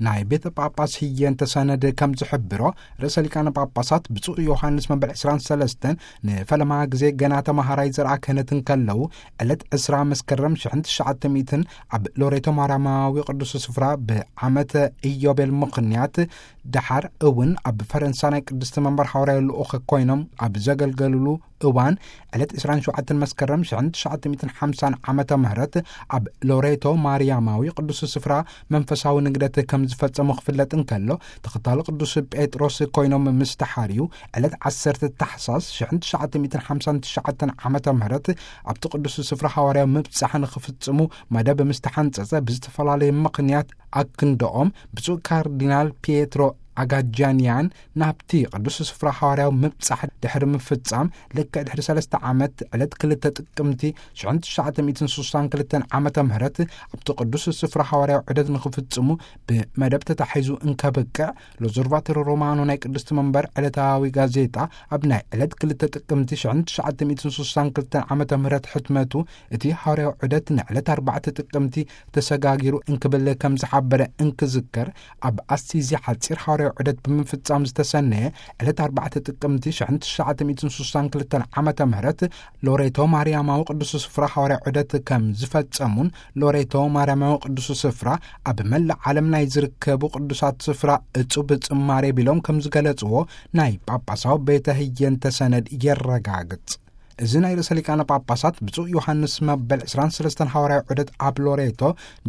ናይ ቤተ ጳጳስ ህየንተ ሰነድ ከም ዝሕብሮ፣ ርእሰ ሊቃነ ጳጳሳት ብፁዕ ዮሃንስ መበል ዕስራን ሰለስተን ንፈለማ ግዜ ገና ተማሃራይ ዘርኣ ክህነት እንከለዉ፣ ዕለት ዕስራ መስከረም ሽሕን ትሽዓተ ሚእትን ኣብ ሎሬቶ ማርያማዊ ቅዱስ ስፍራ ብዓመተ ኢዮቤል ምኽንያት፣ ደሓር እውን ኣብ ፈረንሳ ናይ ቅድስቲ መንበር ሓዋርያዊ ልኡኽ ኮይኖም ኣብ ዘገልገልሉ እዋን፣ ዕለት ዕስራን ሸውዓተን መስከረም ሽሕን ትሽዓተ ሚእትን ሓምሳን ዓመተ ምህረት ኣብ ሎሬቶ ማርያማዊ ቅዱስ ስፍራ መንፈሳዊ ንግደት ከም ዝፈጸሙ ክፍለጥ እንከሎ፣ ተኸታሊ ቅዱስ ጴጥሮስ ኮይኖም ምስ ተሓርዩ፣ ዕለት ዓሰርተ ታሕሳስ ሽሕን ትሽዓተ ሚእትን ሓምሳን ትሽዓተን ዓመተ ምህረት ኣብቲ ቅዱስ ስፍራ ሓዋርያዊ ምብጻሕ ንኽፍጽሙ መደብ ምስ ተሓንጸጸ፣ ብዝተፈላለየ ምኽንያት ኣክንደኦም ብፁዕ ካርዲናል ፒየትሮ ኣጋጃንያን ናብቲ ቅዱስ ስፍራ ሓዋርያዊ ምብጻሕ ድሕሪ ምፍጻም፣ ልክዕ ድሕሪ ሰለስተ ዓመት፣ ዕለት ክልተ ጥቅምቲ ሽሕን ትሽዓተ ሚእትን ስሳን ክልተን ዓመተ ምህረት ኣብቲ ቅዱስ ስፍራ ሓዋርያዊ ዑደት ንኽፍጽሙ ብመደብ ተታሒዙ እንከብቅዕ፣ ሎዞርቫቶሮ ሮማኖ ናይ ቅድስቲ መንበር ዕለታዊ ጋዜጣ ኣብ ናይ ዕለት ክልተ ጥቅምቲ ሽሕን ትሽዓተ ሚእትን ስሳን ክልተን ዓመተ ምህረት ሕትመቱ፣ እቲ ሓዋርያዊ ዑደት ንዕለት ኣርባዕተ ጥቅምቲ ተሰጋጊሩ እንክብል ከም ዝሓበረ እንክዝከር፣ ኣብ ኣሲዚ ሓጺር ሓዋርያዊ ዑደት ብምፍጻም ዝተሰነየ ዕለት ኣርባዕተ ጥቅምቲ ሽሕን ትሽዓተ ሚእትን ስሳን ክልተን ዓመተ ምህረት ሎሬቶ ማርያማዊ ቅዱስ ስፍራ ሓዋርያዊ ዑደት ከም ዝፈጸሙን፣ ሎሬቶ ማርያማዊ ቅዱስ ስፍራ ኣብ መላእ ዓለም ናይ ዝርከቡ ቅዱሳት ስፍራ እጹብ ጽማሬ ቢሎም ከም ዝገለጽዎ ናይ ጳጳሳዊ ቤተ ህየንተ ሰነድ የረጋግጽ። እዚ ናይ ርእሰ ሊቃነ ጳጳሳት ብፁዕ ዮሃንስ መበል ዕስራን ሰለስተን ሓዋርያዊ ዑደት ኣብ ሎሬቶ፣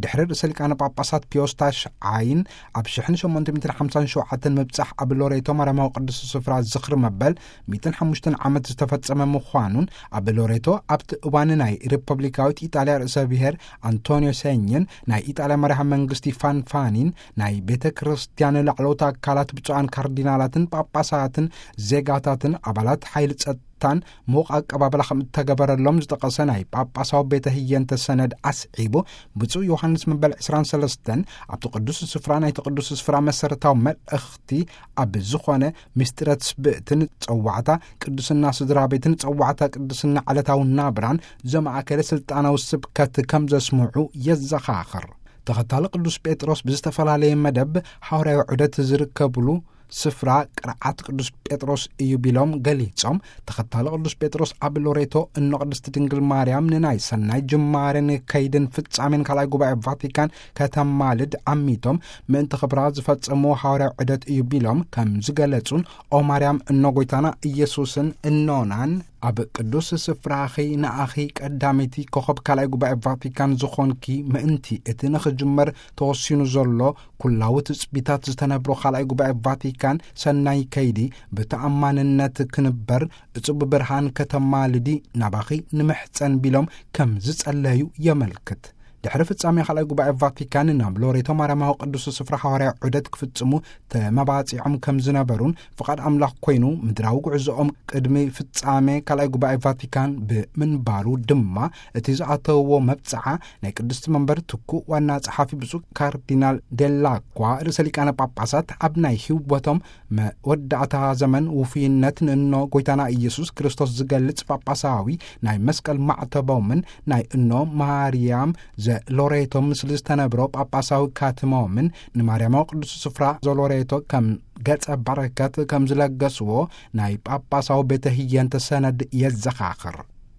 ድሕሪ ርእሰ ሊቃነ ጳጳሳት ፒዮስ ታሽዓይን ኣብ ሽሕን ሸሞንተ ሚእትን ሓምሳን ሸውዓተን ምብጻሕ ኣብ ሎሬቶ ማርያማዊ ቅዱስ ስፍራ ዝኽሪ መበል ሚእትን ሓሙሽተን ዓመት ዝተፈጸመ ምዃኑን፣ ኣብ ሎሬቶ ኣብቲ እዋን ናይ ሪፐብሊካዊት ኢጣልያ ርእሰ ብሔር ኣንቶኒዮ ሴኝን ናይ ኢጣልያ መራሒ መንግስቲ ፋንፋኒን ናይ ቤተ ክርስቲያን ላዕለዎት ኣካላት ብፁዓን ካርዲናላትን ጳጳሳትን ዜጋታትን ኣባላት ሓይሊ ጸጥታን ምዉቕ ኣቀባብላ ከም እተገበረሎም ዝጠቐሰ ናይ ጳጳሳዊ ቤተ ህየንተ ሰነድ ኣስዒቡ፣ ብፁዕ ዮሃንስ መበል ዕስራን ሰለስተን ኣብቲ ቅዱስ ስፍራ ናይቲ ቅዱስ ስፍራ መሰረታዊ መልእኽቲ ኣብ ዝኾነ ምስጢረ ትስብእትን ጸዋዕታ ቅዱስና ስድራ ቤትን ጸዋዕታ ቅዱስና ዕለታዊ ናብራን ዘማእከለ ስልጣናዊ ስብከት ከም ዘስምዑ የዘኻኽር። ተኸታሊ ቅዱስ ጴጥሮስ ብዝተፈላለየ መደብ ሓዋርያዊ ዑደት ዝርከብሉ ስፍራ ቅርዓት ቅዱስ ጴጥሮስ እዩ ቢሎም ገሊጾም፣ ተኸታሊ ቅዱስ ጴጥሮስ ኣብ ሎሬቶ እኖ ቅድስቲ ድንግል ማርያም ንናይ ሰናይ ጅማሬን ከይድን ፍጻሜን ካልኣይ ጉባኤ ቫቲካን ከተማልድ ዓሚቶም ምእንቲ ክብራ ዝፈጸምዎ ሓዋርያዊ ዑደት እዩ ቢሎም ከም ዝገለጹን፣ ኦ ማርያም እኖ ጎይታና ኢየሱስን እኖናን፣ ኣብ ቅዱስ ስፍራኺ ንኣኺ ቀዳመይቲ ኮኸብ ካልኣይ ጉባኤ ቫቲካን ዝኾንኪ ምእንቲ እቲ ንኽጅመር ተወሲኑ ዘሎ ኩላዊ ትጽቢታት ዝተነብሮ ካልኣይ ጉባኤ ቫቲካን ሰናይ ከይዲ ብተኣማንነት ክንበር፣ እጹብ ብርሃን ከተማልዲ ናባኺ ንምሕጸን ቢሎም ከም ዝጸለዩ የመልክት። ድሕሪ ፍጻሜ ካልኣይ ጉባኤ ቫቲካን ናብ ሎሬቶ ማርያማዊ ቅዱስ ስፍራ ሓዋርያዊ ዑደት ክፍጽሙ ተመባጺዖም ከም ዝነበሩን፣ ፍቓድ ኣምላኽ ኮይኑ ምድራዊ ጉዕዞኦም ቅድሚ ፍጻሜ ካልኣይ ጉባኤ ቫቲካን ብምንባሩ ድማ፣ እቲ ዝኣተውዎ መብጽዓ ናይ ቅድስቲ መንበር ትኩእ ዋና ጸሓፊ ብፁዕ ካርዲናል ዴላኳ ርእሰ ሊቃነ ጳጳሳት ኣብ ናይ ህይወቶም መወዳእታ ዘመን ውፉይነት ንእኖ ጎይታና ኢየሱስ ክርስቶስ ዝገልጽ ጳጳሳዊ ናይ መስቀል ማዕተቦምን ናይ እኖ ማርያም ዘሎሬቶ ምስሊ ዝተነብሮ ጳጳሳዊ ካትሞምን ንማርያማዊ ቅዱስ ስፍራ ዘሎሬቶ ከም ገጸ በረከት ከም ዝለገስዎ ናይ ጳጳሳዊ ቤተ ህየንተ ሰነድ የዘኻኽር።